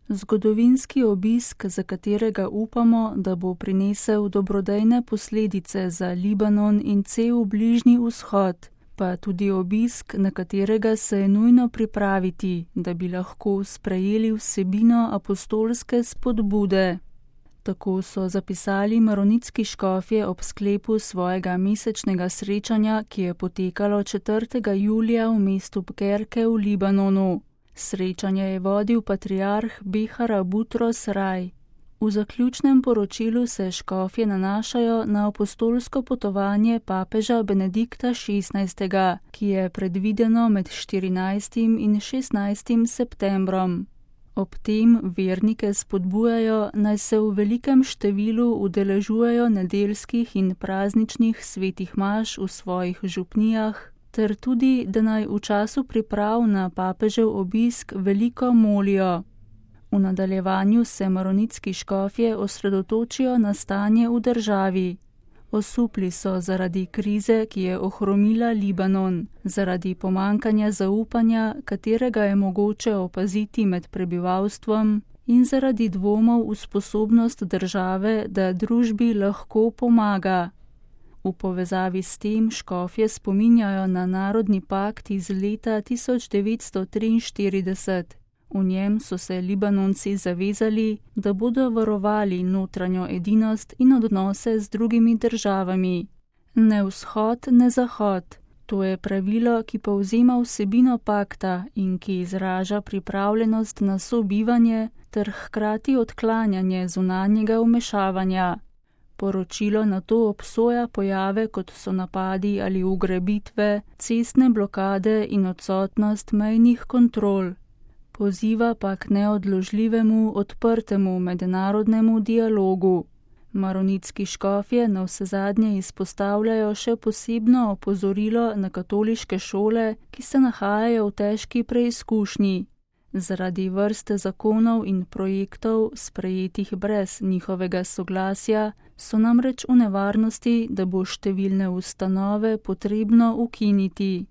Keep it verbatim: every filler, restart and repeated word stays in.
Zgodovinski obisk, za katerega upamo, da bo prinesel dobrodejne posledice za Libanon in cel Bližnji vzhod, pa tudi obisk, na katerega se je nujno pripraviti, da bi lahko sprejeli vsebino apostolske spodbude. Tako so zapisali maronitski škofje ob sklepu svojega mesečnega srečanja, ki je potekalo četrtega julija v mestu Bkerke v Libanonu. Srečanje je vodil patriarh Behar Butros Raj. V zaključnem poročilu se škofje nanašajo na apostolsko potovanje papeža Benedikta šestnajstega, ki je predvideno med štirinajstim in šestnajstim septembrom. Ob tem vernike spodbujajo, naj se v velikem številu udeležujejo nedeljskih in prazničnih svetih maš v svojih župnijah, ter tudi, da naj v času priprav na papežev obisk veliko molijo. V nadaljevanju se maronitski škofje osredotočijo na stanje v državi. Osupli so zaradi krize, ki je ohromila Libanon, zaradi pomankanja zaupanja, katerega je mogoče opaziti med prebivalstvom, in zaradi dvomov v sposobnost države, da družbi lahko pomaga. V povezavi s tem škofje spominjajo na narodni pakt iz leta tisoč devetsto triinštirideset. V njem so se Libanonci zavezali, da bodo varovali notranjo edinost in odnose z drugimi državami. Ne vzhod, ne zahod. To je pravilo, ki povzema vsebino pakta in ki izraža pripravljenost na sobivanje ter hkrati odklanjanje zunanjega vmešavanja. Poročilo nato obsoja pojave, kot so napadi ali ugrabitve, cestne blokade in odsotnost mejnih kontrol. Poziva pa k neodložljivemu, odprtemu mednarodnemu dialogu. Maronitski škofje navsezadnje izpostavljajo še posebno opozorilo na katoliške šole, ki se nahajajo v težki preizkušnji. Zaradi vrste zakonov in projektov, sprejetih brez njihovega soglasja, so namreč v nevarnosti, da bo številne ustanove potrebno ukiniti.